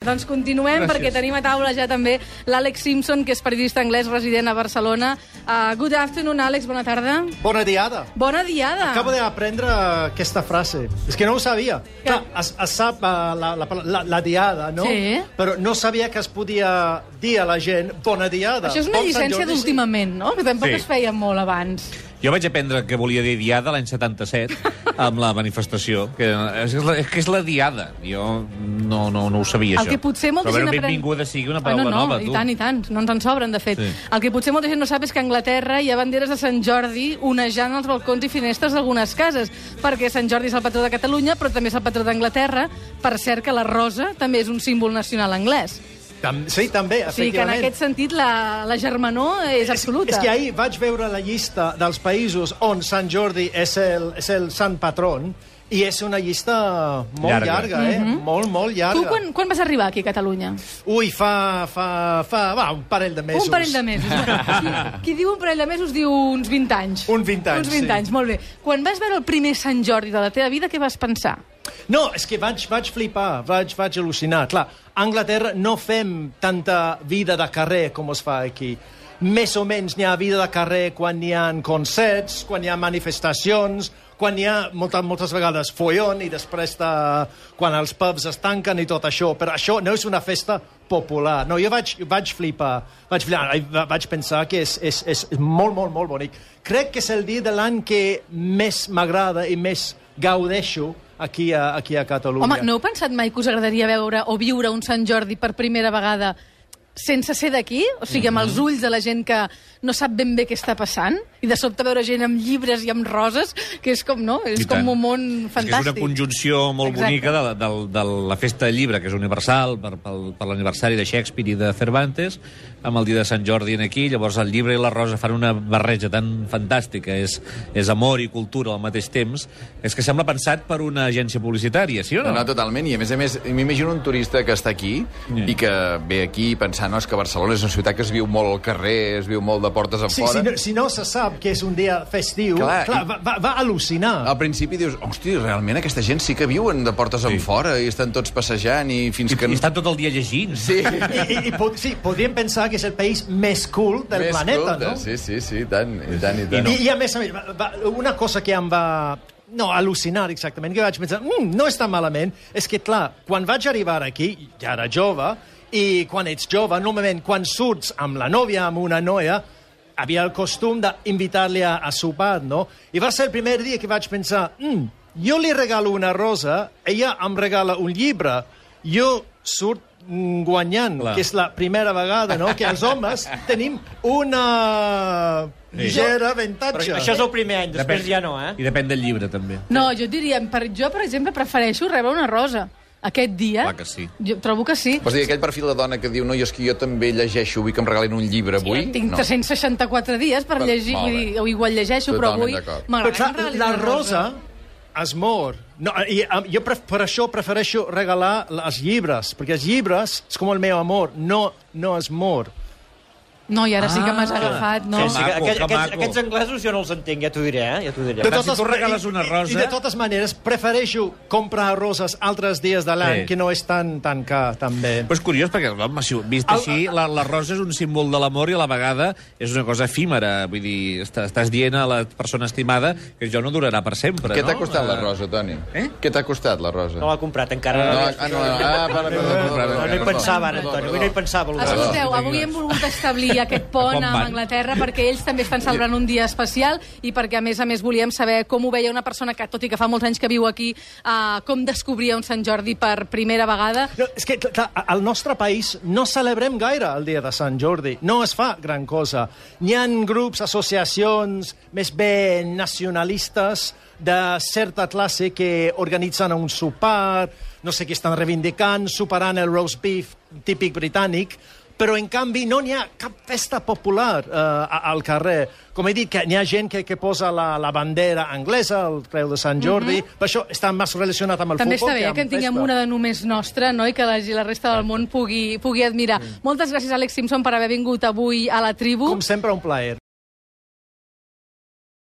Doncs continuem. Gràcies. Perquè tenim a taula ja també l'Àlex Simpson, que és periodista anglès resident a Barcelona. Good afternoon, Àlex, bona tarda. Bona diada. Bona diada. Acabo d'aprendre aquesta frase. És que no ho sabia. Clar, es sap la diada, no? Sí. Però no sabia que es podia dir a la gent bona diada. Això és una llicència d'últimament, no? Que tampoc es feia molt abans. Jo vaig aprendre que volia dir diada l'any 77 amb la manifestació, que és la diada. Jo no ho sabia, això. El que potser molta gent aprèn... benvinguda sigui una paraula nova, tu. I tant, no ens en sobren, de fet. Sí. El que potser molta gent no sap és que a Anglaterra hi ha banderes de Sant Jordi onejant els balcons i finestres d'algunes cases, perquè Sant Jordi és el patró de Catalunya, però també és el patró d'Anglaterra. Per cert que la rosa també és un símbol nacional anglès. Sí, també, efectivament. Sí, que en aquest sentit la germanor és absoluta. És que ahir vaig veure la llista dels països on Sant Jordi és el sant patron, i és una llista molt llarga, molt llarga. Tu quan vas arribar aquí a Catalunya? Ui, fa un parell de mesos. Un parell de mesos. Qui diu un parell de mesos diu uns 20 anys. Uns 20 anys, Uns 20 anys, molt bé. Quan vas veure el primer Sant Jordi de la teva vida, què vas pensar? No, és que vaig flipar, vaig al·lucinar. Clar, a Anglaterra no fem tanta vida de carrer com es fa aquí. Més o menys n'hi ha vida de carrer quan hi ha concerts, quan hi ha manifestacions, quan hi ha moltes vegades follon i després quan els pubs es tanquen i tot això. Però això no és una festa popular. No, jo vaig flipar. Vaig pensar que és molt, molt, molt bonic. Crec que és el dia de l'any que més m'agrada i més gaudeixo aquí a Catalunya. Home, no heu pensat mai que us agradaria veure o viure un Sant Jordi per primera vegada sense ser d'aquí? O sigui, amb els ulls de la gent que no sap ben bé què està passant, i de sobte veure gent amb llibres i amb roses, que és com, no? És com un món fantàstic. És una conjunció molt bonica de la festa del llibre, que és universal, per l'aniversari de Shakespeare i de Cervantes, amb el dia de Sant Jordi aquí. Llavors el llibre i la rosa fan una barreja tan fantàstica, és amor i cultura al mateix temps, és que sembla pensat per una agència publicitària, sí o no? No, totalment, i a més, m'imagino un turista que està aquí i que ve aquí pensant que Barcelona és una ciutat que es viu molt al carrer, es viu molt de portes enfora. Si no se sap que és un dia festiu, va al·lucinar. Al principi dius, hosti, realment aquesta gent sí que viuen de portes enfora i estan tots passejant i fins que... I estan tot el dia llegint. Sí. I podríem pensar que és el país més cool del planeta, no? Sí, i tant. I a més, una cosa que em va... No, al·lucinar, exactament, que vaig pensar, no està malament, és que, clar, quan vaig arribar aquí, ja era jove, i quan ets jove, normalment, quan surts amb la nòvia, amb una noia, havia el costum d'invitar-li a sopar, no? I va ser el primer dia que vaig pensar, jo li regalo una rosa, ella em regala un llibre, jo surt guanyant, que és la primera vegada, no?, que els homes tenim una ligera avantatge. Però això és el primer any, després ja no, eh? I depèn del llibre, també. No, jo diria, jo, per exemple, prefereixo rebre una rosa aquest dia. Clar que sí. Jo trobo que sí. Vols dir, aquell perfil de dona que diu, no, és que jo també llegeixo, vull que em regalin un llibre avui? Sí, tinc 364 dies per llegir, o igual llegeixo, però avui m'agrada. La rosa es mor. No, jo per això prefereixo regalar els llibres, perquè els llibres és com el meu amor, no es mor. No, i ara sí que m'has agafat, no? Sí, aquests anglesos jo no els entenc, ja t'ho diré, Ja t'ho diré. Si tu regales una rosa... I de totes maneres, prefereixo comprar roses altres dies de l'any, que no és tan car, també. Però és curiós, perquè, home, vist així, la rosa és un símbol de l'amor i a la vegada és una cosa efímera. Vull dir, estàs dient a la persona estimada que això no durarà per sempre, no? Què t'ha costat la rosa, Toni? Què t'ha costat la rosa? No l'ha comprat encara. No hi pensava, ara, Antoni, avui no hi pensava. Escolteu, avui hem volgut establir aquest pont amb Anglaterra perquè ells també estan celebrant un dia especial i perquè, a més, volíem saber com ho veia una persona que, tot i que fa molts anys que viu aquí, com descobria un Sant Jordi per primera vegada. No, és que al nostre país no celebrem gaire el dia de Sant Jordi. No es fa gran cosa. N'hi ha grups, associacions més bé nacionalistes de certa classe que organitzen un sopar, no sé què estan reivindicant, superant el roast beef típic britànic, però, en canvi, no n'hi ha cap festa popular al carrer. Com he dit, que n'hi ha gent que posa la bandera anglesa, el creu de Sant Jordi, per això està més relacionat amb el també futbol. També està bé que en tinguem una de només nostra, no?, i que la resta del món pugui admirar. Moltes gràcies, Àlex Simpson, per haver vingut avui a la tribu. Com sempre, un plaer.